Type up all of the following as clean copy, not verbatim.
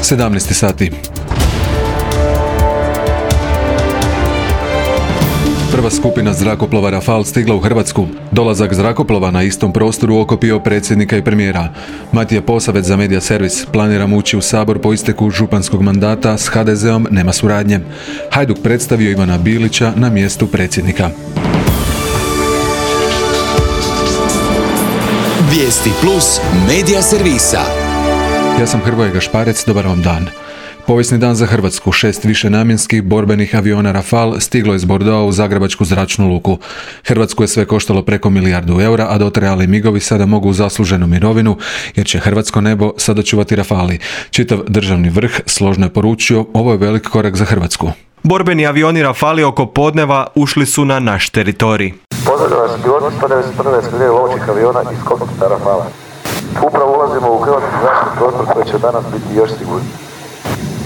17 sati. Prva skupina zrakoplova Rafale stigla u Hrvatsku. Dolazak zrakoplova na istom prostoru okupio predsjednika i premijera. Matija Posavec za Media Servis: planiramo ući u Sabor po isteku županskog mandata, s HDZ-om nema suradnje. Hajduk predstavio Ivana Bilića na mjestu predsjednika. Vijesti plus Media Servisa. Ja sam Hrvoje Gašparec, dobar vam dan. Povijesni dan za Hrvatsku. 6 višenamjenskih borbenih aviona Rafale stiglo je iz Bordeauxa u Zagrebačku zračnu luku. Hrvatsku je sve koštalo preko milijardu eura, a dotrajali migovi sada mogu u zasluženu mirovinu, jer će hrvatsko nebo sada čuvati Rafali. Čitav državni vrh složno je poručio: ovo je velik korak za Hrvatsku. Borbeni avioni Rafali oko podneva ušli su na naš teritorij. Pozdravljam vas piloti 191. eskadrile lovčih aviona iz kokpita Rafala. Upravo ulazimo u hrvatski zračni prostor koji će danas biti još sigurniji.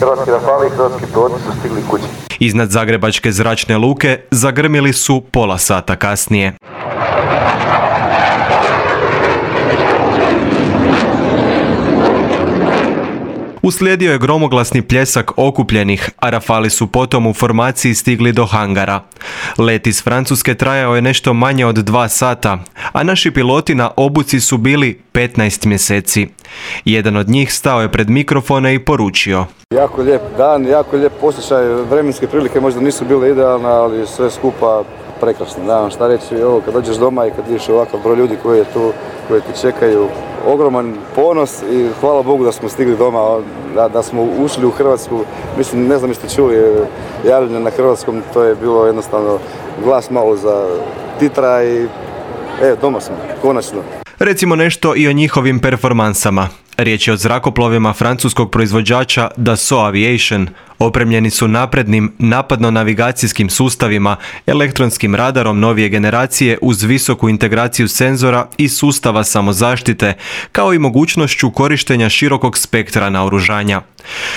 Hrvatski Rafali i hrvatski piloti su stigli kući. Iznad Zagrebačke zračne luke zagrmili su pola sata kasnije. Uslijedio je gromoglasni pljesak okupljenih, a Rafali su potom u formaciji stigli do hangara. Let iz Francuske trajao je nešto manje od 2 sata, a naši piloti na obuci su bili 15 mjeseci. Jedan od njih stao je pred mikrofone i poručio: jako lijep dan, jako lijep posjećaj, vremenske prilike možda nisu bile idealne, ali sve skupa prekrasno. Nemam šta reći, ovo kad dođeš doma i kad vidiš ovakav broj ljudi koji je tu, koji te čekaju, ogroman ponos i hvala Bogu da smo stigli doma, da smo ušli u Hrvatsku. Mislim, ne znam jeste čuli javljanje na hrvatskom, to je bilo jednostavno glas malo za titra i doma smo, konačno. Recimo nešto i o njihovim performansama. Riječ je o zrakoplovima francuskog proizvođača Dassault Aviation. Opremljeni su naprednim napadno-navigacijskim sustavima, elektronskim radarom novije generacije uz visoku integraciju senzora i sustava samozaštite, kao i mogućnošću korištenja širokog spektra naoružanja.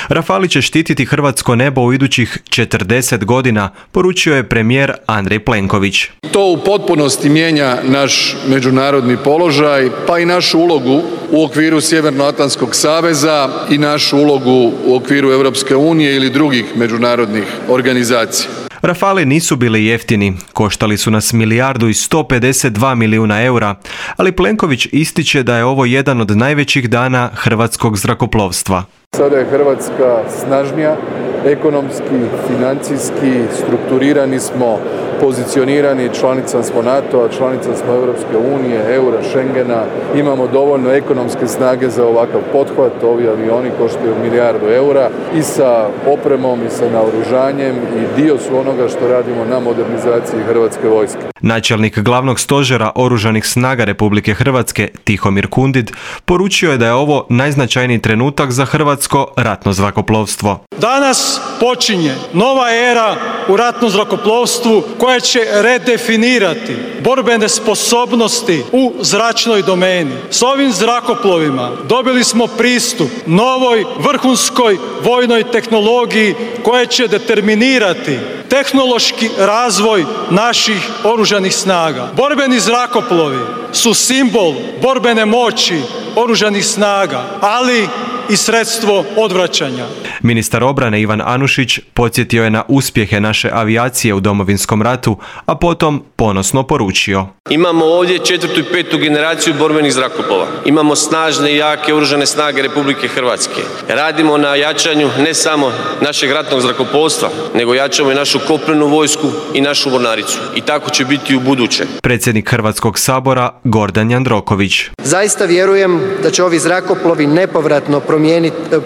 Rafali će štititi hrvatsko nebo u idućih 40 godina, poručio je premijer Andrej Plenković. To u potpunosti mijenja naš međunarodni položaj, pa i našu ulogu u okviru Sjevernoatlantskog saveza i našu ulogu u okviru Europske unije ili drugih međunarodnih organizacija. Rafali nisu bili jeftini, koštali su nas 1.152 milijuna eura, ali Plenković ističe da je ovo jedan od najvećih dana hrvatskog zrakoplovstva. Sada je Hrvatska snažnija, ekonomski, financijski, strukturirani smo, pozicionirani, članica smo NATO-a, članica smo Europske unije, eura, Schengena, imamo dovoljno ekonomske snage za ovakav pothvat, ovi avioni koštaju milijardu eura i sa opremom i sa naoružanjem i dio su onoga što radimo na modernizaciji Hrvatske vojske. Načelnik glavnog stožera Oružanih snaga Republike Hrvatske, Tihomir Kundid, poručio je da je ovo najznačajniji trenutak za hrvatsko ratno zrakoplovstvo. Danas počinje nova era u ratnom zrakoplovstvu koja će redefinirati borbene sposobnosti u zračnoj domeni. S ovim zrakoplovima dobili smo pristup novoj vrhunskoj vojnoj tehnologiji koja će determinirati tehnološki razvoj naših oružanih snaga. Borbeni zrakoplovi su simbol borbene moći oružanih snaga, ali i sredstvo odvraćanja. Ministar obrane Ivan Anušić podsjetio je na uspjehe naše avijacije u Domovinskom ratu, a potom ponosno poručio: imamo ovdje 4. i 5. generaciju borbenih zrakoplova. Imamo snažne i jake oružane snage Republike Hrvatske. Radimo na jačanju ne samo našeg ratnog zrakoplovstva, nego jačamo i našu kopnenu vojsku i našu mornaricu. I tako će biti u buduće. Predsjednik Hrvatskog sabora Gordan Jandroković: zaista vjerujem da će ovi zrakoplovi nepovratno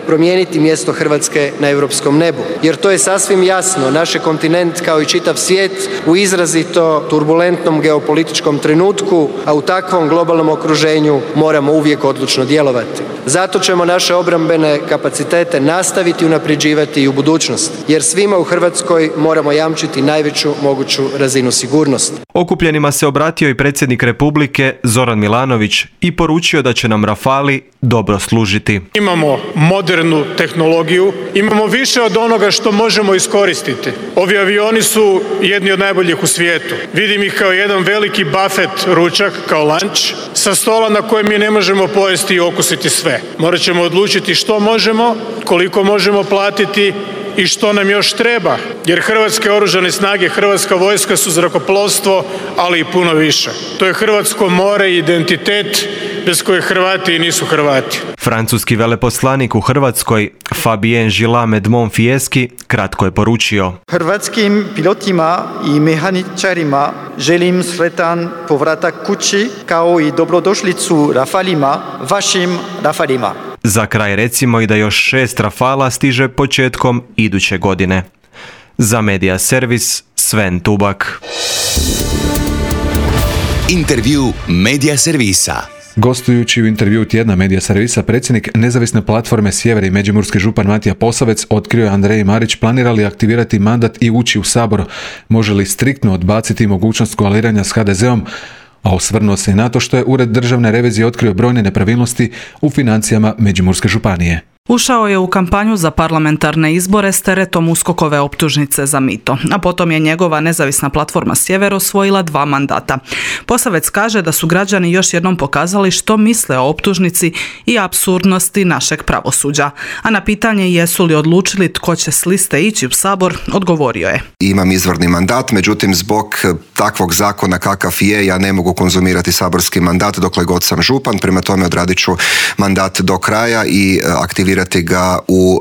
promijeniti mjesto Hrvatske na europskom nebu. Jer to je sasvim jasno, naš kontinent kao i čitav svijet u izrazito turbulentnom geopolitičkom trenutku, a u takvom globalnom okruženju moramo uvijek odlučno djelovati. Zato ćemo naše obrambene kapacitete nastaviti unapređivati i u budućnosti, jer svima u Hrvatskoj moramo jamčiti najveću moguću razinu sigurnosti. Okupljenima se obratio i predsjednik Republike Zoran Milanović i poručio da će nam Rafali dobro služiti. Imamo modernu tehnologiju, imamo više od onoga što možemo iskoristiti. Ovi avioni su jedni od najboljih u svijetu. Vidim ih kao jedan veliki buffet ručak, kao lunch, sa stola na kojem mi ne možemo pojesti i okusiti sve. Morat ćemo odlučiti što možemo, koliko možemo platiti i što nam još treba, jer Hrvatske oružane snage, Hrvatska vojska su zrakoplovstvo, ali i puno više. To je hrvatsko more i identitet bez koje Hrvati nisu Hrvati. Francuski veleposlanik u Hrvatskoj, Fabien Gillat-Medmont-Fieschi, kratko je poručio: Hrvatskim pilotima i mehaničarima želim sretan povratak kući, kao i dobrodošlicu Rafalima, vašim Rafalima. Za kraj recimo i da još 6 Rafala stiže početkom iduće godine. Za Media Servis, Sven Tubak. Intervju Media Servisa. Gostujući u intervju tjedna Media Servisa, predsjednik nezavisne platforme Sjever i međimurski župan Matija Posavec otkrio je Andreji Marić planira li aktivirati mandat i ući u Sabor, može li striktno odbaciti mogućnost koaliranja s HDZ-om, a osvrnuo se i na to što je Ured državne revizije otkrio brojne nepravilnosti u financijama Međimurske županije. Ušao je u kampanju za parlamentarne izbore s teretom USKOK-ove optužnice za mito, a potom je njegova nezavisna platforma Sjever osvojila 2 mandata. Posavec kaže da su građani još jednom pokazali što misle o optužnici i apsurdnosti našeg pravosuđa. A na pitanje jesu li odlučili tko će s liste ići u Sabor, odgovorio je: Imam izvorni mandat, međutim zbog takvog zakona kakav je, ja ne mogu konzumirati saborski mandat dokle god sam župan, prema tome odradit ću mandat do kraja i aktivirati ga u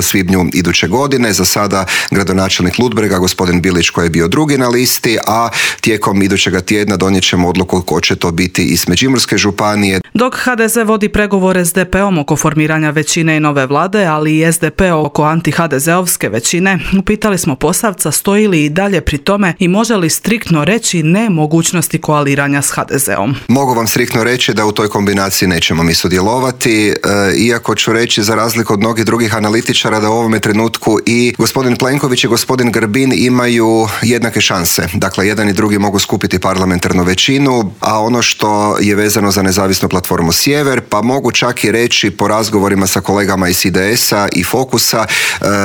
svibnju iduće godine. Za sada gradonačelnik Ludbrega, gospodin Bilić, koji je bio drugi na listi, a tijekom idućega tjedna donijet ćemo odluku ko će to biti iz Međimurske županije. Dok HDZ vodi pregovore s DP-om oko formiranja većine i nove vlade, ali i SDP oko anti-HDZ-ovske većine, upitali smo Posavca stoji li i dalje pri tome i može li striktno reći ne mogućnosti koaliranja s HDZ-om. Mogu vam striktno reći da u toj kombinaciji nećemo mi sudjelovati, iako ću reći za razliku od mnogih drugih analitičara da u ovome trenutku i gospodin Plenković i gospodin Grbin imaju jednake šanse. Dakle, jedan i drugi mogu skupiti parlamentarnu većinu, a ono što je vezano za nezavisnu platformu Sjever, pa mogu čak i reći po razgovorima sa kolegama iz IDS-a i Fokusa,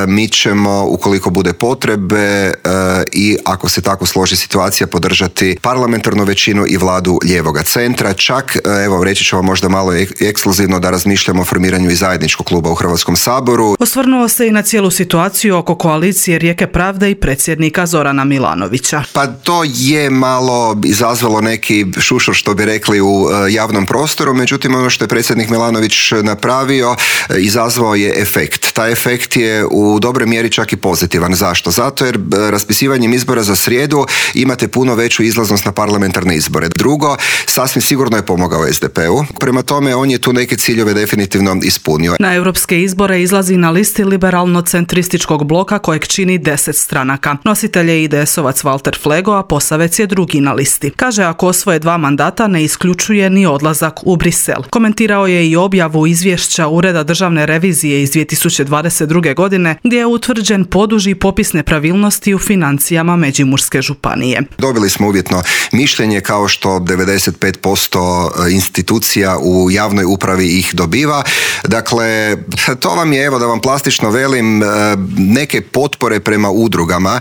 mi ćemo, ukoliko bude potrebe i ako se tako složi situacija, podržati parlamentarnu većinu i vladu lijevoga centra. Čak, evo, reći ću vam možda malo ekskluzivno da razmišljamo o formiranju i zajedničkog kluba u Hrvatskom saboru. Osvrnuo se i na cijelu situaciju oko koalicije Rijeke pravde i predsjednika Zorana Milanovića. Pa to je malo izazvalo neki šušur, što bi rekli, u javnom prostoru, međutim ono što je predsjednik Milanović napravio izazvao je efekt. Taj efekt je u dobroj mjeri čak i pozitivan. Zašto? Zato jer raspisivanjem izbora za srijedu imate puno veću izlaznost na parlamentarne izbore. Drugo, sasvim sigurno je pomogao SDP-u. Prema tome, on je tu neke ciljeve definitivno ispunio. Na europske izbore izlazi na listi liberalno-centrističkog bloka kojeg čini 10 stranaka. Nositelj je IDS-ovac Valter Flego, a Posavec je drugi na listi. Kaže, ako osvoje 2 mandata ne isključuje ni odlazak u Brisel. Komentirao je i objavu izvješća Ureda državne revizije iz 2022. godine gdje je utvrđen poduži popis nepravilnosti u financijama Međimurske županije. Dobili smo uvjetno mišljenje kao što 95% institucija u javnoj upravi ih dobiva. Dakle, to vam je, evo da vam plastično velim, neke potpore prema udrugama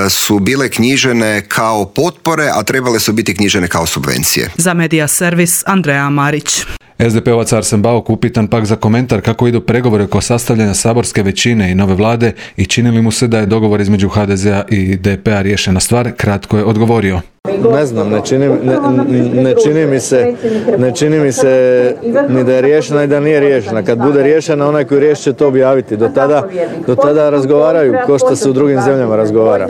su bile knjižene kao potpore, a trebale su biti knjižene kao subvencije. Za Media Servis, Andreja Marić. SDP-ovac Arsen Bauk upitan pak za komentar kako idu pregovori oko sastavljanja saborske većine i nove vlade i čini li mu se da je dogovor između HDZ-a i DP-a riješena stvar, kratko je odgovorio: Ne znam, ne čini mi se ni da je riješena i da nije riješena. Kad bude riješena, onaj koji riješi će to objaviti. Do tada razgovaraju ko što se u drugim zemljama razgovara.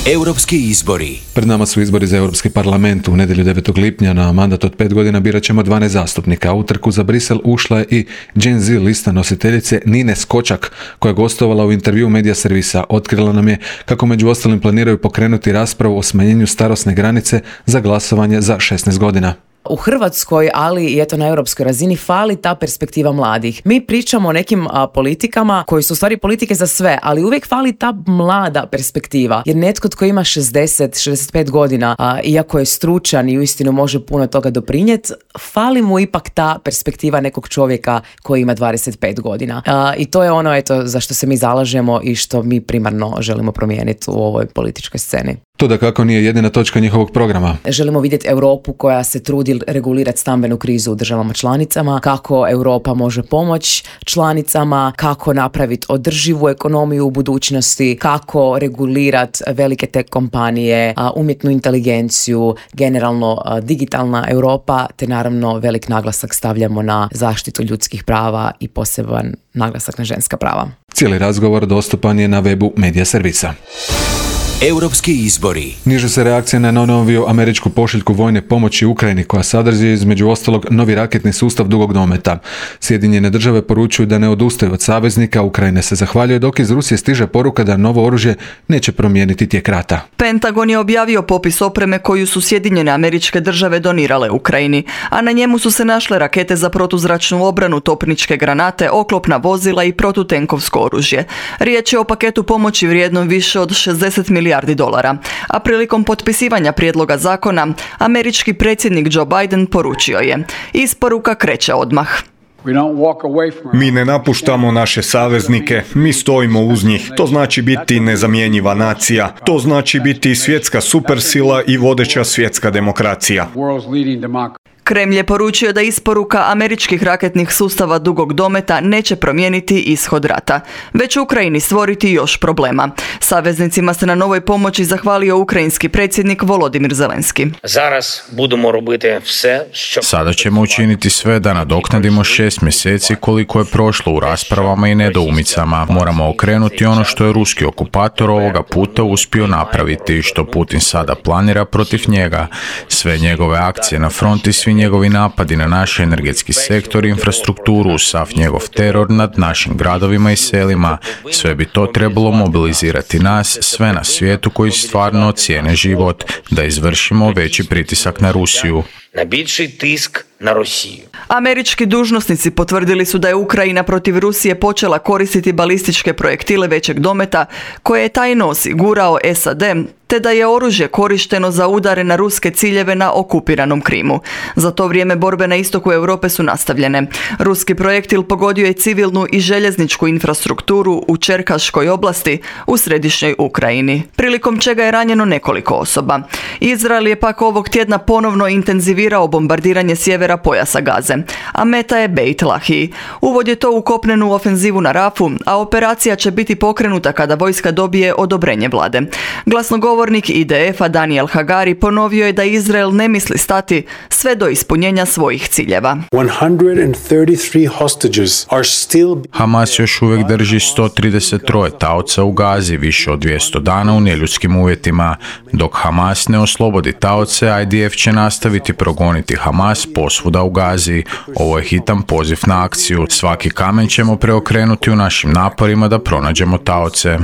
Europski izbori. Pred nama su izbori za Europski parlament. U nedjelju 9. lipnja na mandat od 5 godina birat ćemo 12 zastupnika. U trku za Brisel ušla je i Gen Z lista nositeljice Nine Skočak, koja je gostovala u intervju Media Servisa. Otkrila nam je kako među ostalim planiraju pokrenuti raspravu o smanjenju starosne granice za glasovanje za 16 godina. U Hrvatskoj, ali i eto na europskoj razini, fali ta perspektiva mladih. Mi pričamo o nekim politikama koji su u stvari politike za sve, ali uvijek fali ta mlada perspektiva. Jer netko tko ima 60-65 godina, iako je stručan i uistinu može puno toga doprinijeti, fali mu ipak ta perspektiva nekog čovjeka koji ima 25 godina. I to je ono eto za što se mi zalažemo i što mi primarno želimo promijeniti u ovoj političkoj sceni. To dakako nije jedina točka njihovog programa. Želimo vidjeti Europu koja se trudi regulirati stambenu krizu u državama članicama, kako Europa može pomoći članicama, kako napraviti održivu ekonomiju u budućnosti, kako regulirati velike tech kompanije, umjetnu inteligenciju, generalno digitalna Europa, te naravno velik naglasak stavljamo na zaštitu ljudskih prava i poseban naglasak na ženska prava. Cijeli razgovor dostupan je na webu Medija servisa. Europski izbori. Niže se reakcija na najnoviju američku pošiljku vojne pomoći Ukrajini koja sadrži između ostalog novi raketni sustav dugog dometa. Sjedinjene države poručuju da ne odustaju od saveznika, Ukrajine se zahvaljuje, dok iz Rusije stiže poruka da novo oružje neće promijeniti tijek rata. Pentagon je objavio popis opreme koju su Sjedinjene Američke Države donirale Ukrajini, a na njemu su se našle rakete za protuzračnu obranu, topničke granate, oklopna vozila i protutenkovsko oružje. Riječ je o paketu pomoći vrijednom više od 60 milijardi dolara. A prilikom potpisivanja prijedloga zakona, američki predsjednik Joe Biden poručio je: isporuka kreće odmah. Mi ne napuštamo naše saveznike, mi stojimo uz njih. To znači biti nezamjenjiva nacija. To znači biti svjetska supersila i vodeća svjetska demokracija. Kremlj je poručio da isporuka američkih raketnih sustava dugog dometa neće promijeniti ishod rata, već Ukrajini stvoriti još problema. Saveznicima se na novoj pomoći zahvalio ukrajinski predsjednik Volodimir Zelenski. Sada ćemo učiniti sve da nadoknadimo 6 mjeseci koliko je prošlo u raspravama i nedoumicama. Moramo okrenuti ono što je ruski okupator ovoga puta uspio napraviti i što Putin sada planira protiv njega. Sve njegove akcije na fronti, svi njegovi napadi na naš energetski sektor i infrastrukturu, sav njegov teror nad našim gradovima i selima, sve bi to trebalo mobilizirati nas, sve na svijetu koji stvarno cijene život, da izvršimo veći pritisak na Rusiju. Na Rusiju. Američki dužnosnici potvrdili su da je Ukrajina protiv Rusije počela koristiti balističke projektile većeg dometa koje je tajno osigurao SAD, te da je oružje korišteno za udare na ruske ciljeve na okupiranom Krimu. Za to vrijeme borbe na istoku Europe su nastavljene. Ruski projektil pogodio je civilnu i željezničku infrastrukturu u Čerkaškoj oblasti u središnjoj Ukrajini, prilikom čega je ranjeno nekoliko osoba. Izrael je pak ovog tjedna ponovno intenzivirao bombardiranje sjevera pojasa Gaze, a meta je Beit Lahiji. Uvod je to u kopnenu ofenzivu na Rafu, a operacija će biti pokrenuta kada vojska dobije odobrenje vlade. Glasnogovornik IDF-a Daniel Hagari ponovio je da Izrael ne misli stati sve do ispunjenja svojih ciljeva. Hamas još uvijek drži 133 taoca u Gazi više od 200 dana u neljudskim uvjetima. Dok Hamas ne oslobodi taoce, IDF će nastaviti progoniti Hamas posvuda u Gazi. Ovo je hitan poziv na akciju. Svaki kamen ćemo preokrenuti u našim naporima da pronađemo taoce.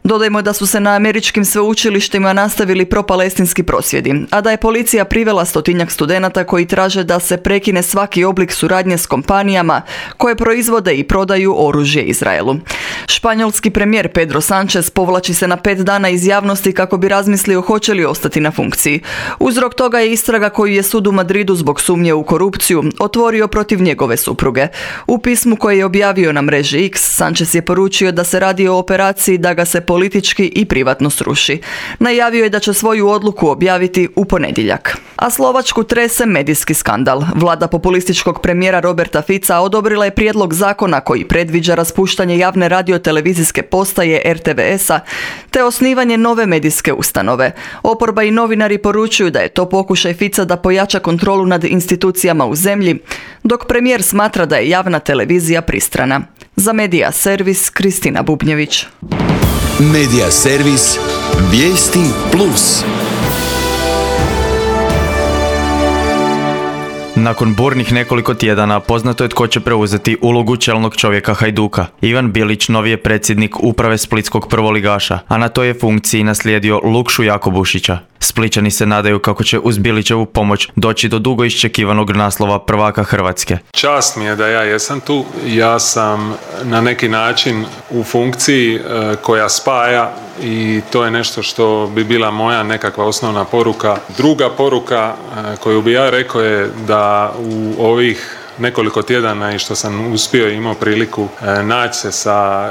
Dodajmo da su se na američkim sveučilištima nastavili propalestinski prosvjedi, a da je policija privela 100-tinjak studenata koji traže da se prekine svaki oblik suradnje s kompanijama koje proizvode i prodaju oružje Izraelu. Španjolski premijer Pedro Sánchez povlači se na 5 dana iz javnosti kako bi razmislio hoće li ostati na funkciji. Uzrok toga je istraga koju je sud u Madridu zbog sumnje u korupciju otvorio protiv njegove supruge. U pismu koje je objavio na mreži X, Sánchez je poručio da se radi o operaciji da ga se politički i privatno sruši. Najavio je da će svoju odluku objaviti u ponedjeljak. A Slovačku trese medijski skandal. Vlada populističkog premijera Roberta Fica odobrila je prijedlog zakona koji predviđa raspuštanje javne radiotelevizijske postaje RTVS-a te osnivanje nove medijske ustanove. Oporba i novinari poručuju da je to pokušaj Fica da pojača kontrolu nad institucijama u zemlji, dok premijer smatra da je javna televizija pristrana. Za Medija servis Kristina Bubnjević. Medija servis Vijesti Plus. Nakon burnih nekoliko tjedana poznato je tko će preuzeti ulogu čelnog čovjeka Hajduka. Ivan Bilić novi je predsjednik uprave splitskog prvoligaša, a na toj je funkciji naslijedio Lukšu Jakobušića. Splićani se nadaju kako će uz Bilićevu pomoć doći do dugo iščekivanog naslova prvaka Hrvatske. Čast mi je da ja jesam tu. Ja sam na neki način u funkciji koja spaja i to je nešto što bi bila moja nekakva osnovna poruka. Druga poruka koju bi ja rekao je da u ovih nekoliko tjedana i što sam uspio i imao priliku naći se sa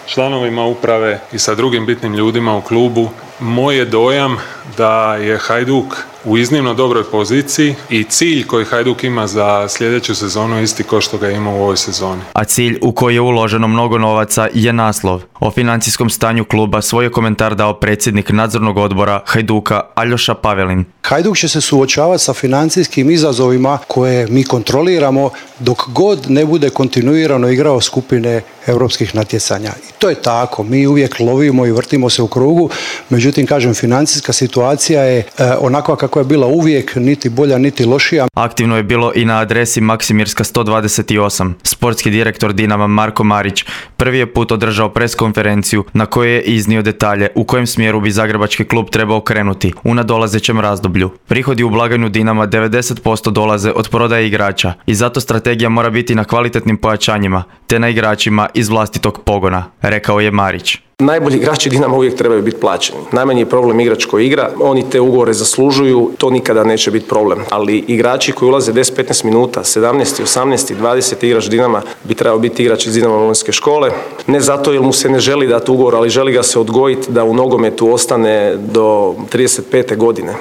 članovima uprave i sa drugim bitnim ljudima u klubu, moj je dojam da je Hajduk u iznimno dobroj poziciji i cilj koji Hajduk ima za sljedeću sezonu isti kao što ga ima u ovoj sezoni. A cilj u koji je uloženo mnogo novaca je naslov. O financijskom stanju kluba svoj je komentar dao predsjednik nadzornog odbora Hajduka Aljoša Pavelin. Hajduk će se suočavati sa financijskim izazovima koje mi kontroliramo dok god ne bude kontinuirano igrao skupine europskih natjecanja. I to je tako, mi uvijek lovimo i vrtimo se u krugu, međutim, kažem, financijska situacija je onakva kako je bila uvijek, niti bolja, niti lošija. Aktivno je bilo i na adresi Maksimirska 128. Sportski direktor Dinama Marko Marić prvi je put održao preskonferenciju na kojoj je iznio detalje u kojem smjeru bi zagrebački klub trebao krenuti u nadolazećem razdoblju. Prihodi u blagajnu Dinama 90% dolaze od prodaje igrača i zato strategija mora biti na kvalitetnim pojačanjima te na igračima iz vlastitog pogona, rekao je Marić. Najbolji igrači Dinama uvijek trebaju biti plaćeni. Najmanji je problem igrač koji igra, oni te ugovore zaslužuju, to nikada neće biti problem. Ali igrači koji ulaze 10-15 minuta, 17, 18, 20 igrač Dinama bi trebao biti igrač iz Dinama Molinske škole. Ne zato jer mu se ne želi dati ugovor, ali želi ga se odgojiti da u nogometu ostane do 35. godine.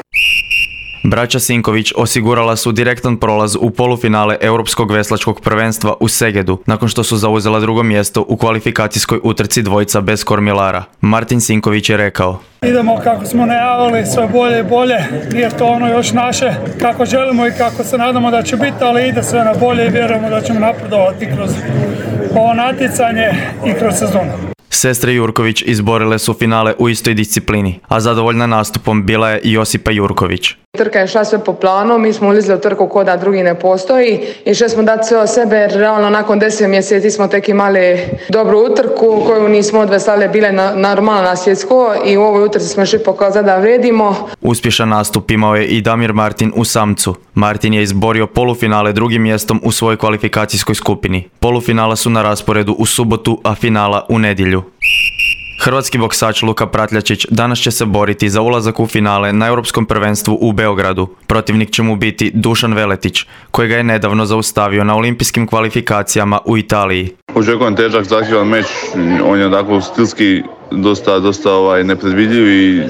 Braća Sinković osigurala su direktan prolaz u polufinale Europskog veslačkog prvenstva u Segedu, nakon što su zauzela drugo mjesto u kvalifikacijskoj utrci dvojica bez kormilara. Martin Sinković je rekao: idemo kako smo najavili, sve bolje i bolje, nije to ono još naše kako želimo i kako se nadamo da će biti, ali ide sve na bolje i vjerujemo da ćemo napredovati kroz ovo natjecanje i kroz sezonu. Sestre Jurković izborile su finale u istoj disciplini, a zadovoljna nastupom bila je i Josipa Jurković. Trka je šla sve po planu, mi smo ulizli u trku ko da drugi ne postoji i što smo dati sve od sebe jer realno nakon 10 mjeseci smo tek imali dobru utrku koju nismo odveslali bile normalno na svjetsko i u ovoj utrci smo išli pokazati da vredimo. Uspješan nastup imao je i Damir Martin u samcu. Martin je izborio polufinale drugim mjestom u svojoj kvalifikacijskoj skupini. Polufinala su na rasporedu u subotu, a finala u nedjelju. Hrvatski boksač Luka Pratljačić danas će se boriti za ulazak u finale na Europskom prvenstvu u Beogradu. Protivnik će mu biti Dušan Veletić, kojega je nedavno zaustavio na olimpijskim kvalifikacijama u Italiji. Očekujem težak, zahtjevan meč, on je onako stilski dosta nepredvidljiv i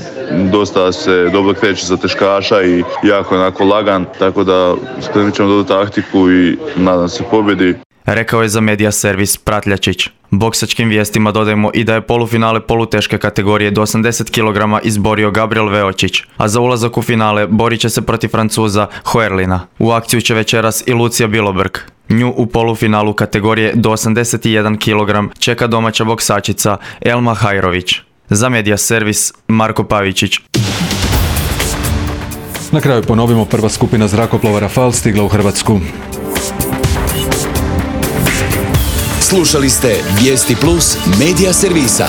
dosta se dobro kreće za teškaša i jako onako lagan, tako da spremit ćemo dobru taktiku i nadam se pobjedi. Rekao je za medija servis Pratljačić. Boksačkim vijestima dodajemo i da je polufinale poluteške kategorije do 80 kg izborio Gabriel Veočić, a za ulazak u finale borit će se protiv Francuza Hoerlina. U akciju će večeras i Lucija Bilobrk. Nju u polufinalu kategorije do 81 kg čeka domaća boksačica Elma Hajrović. Za medija servis Marko Pavičić. Na kraju ponovimo, prva skupina zrakoplova Rafal stigla u Hrvatsku. Slušali ste Vijesti Plus medija servisa.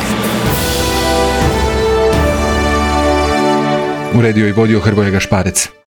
Uredio i vodio Hrvoje Gašparec.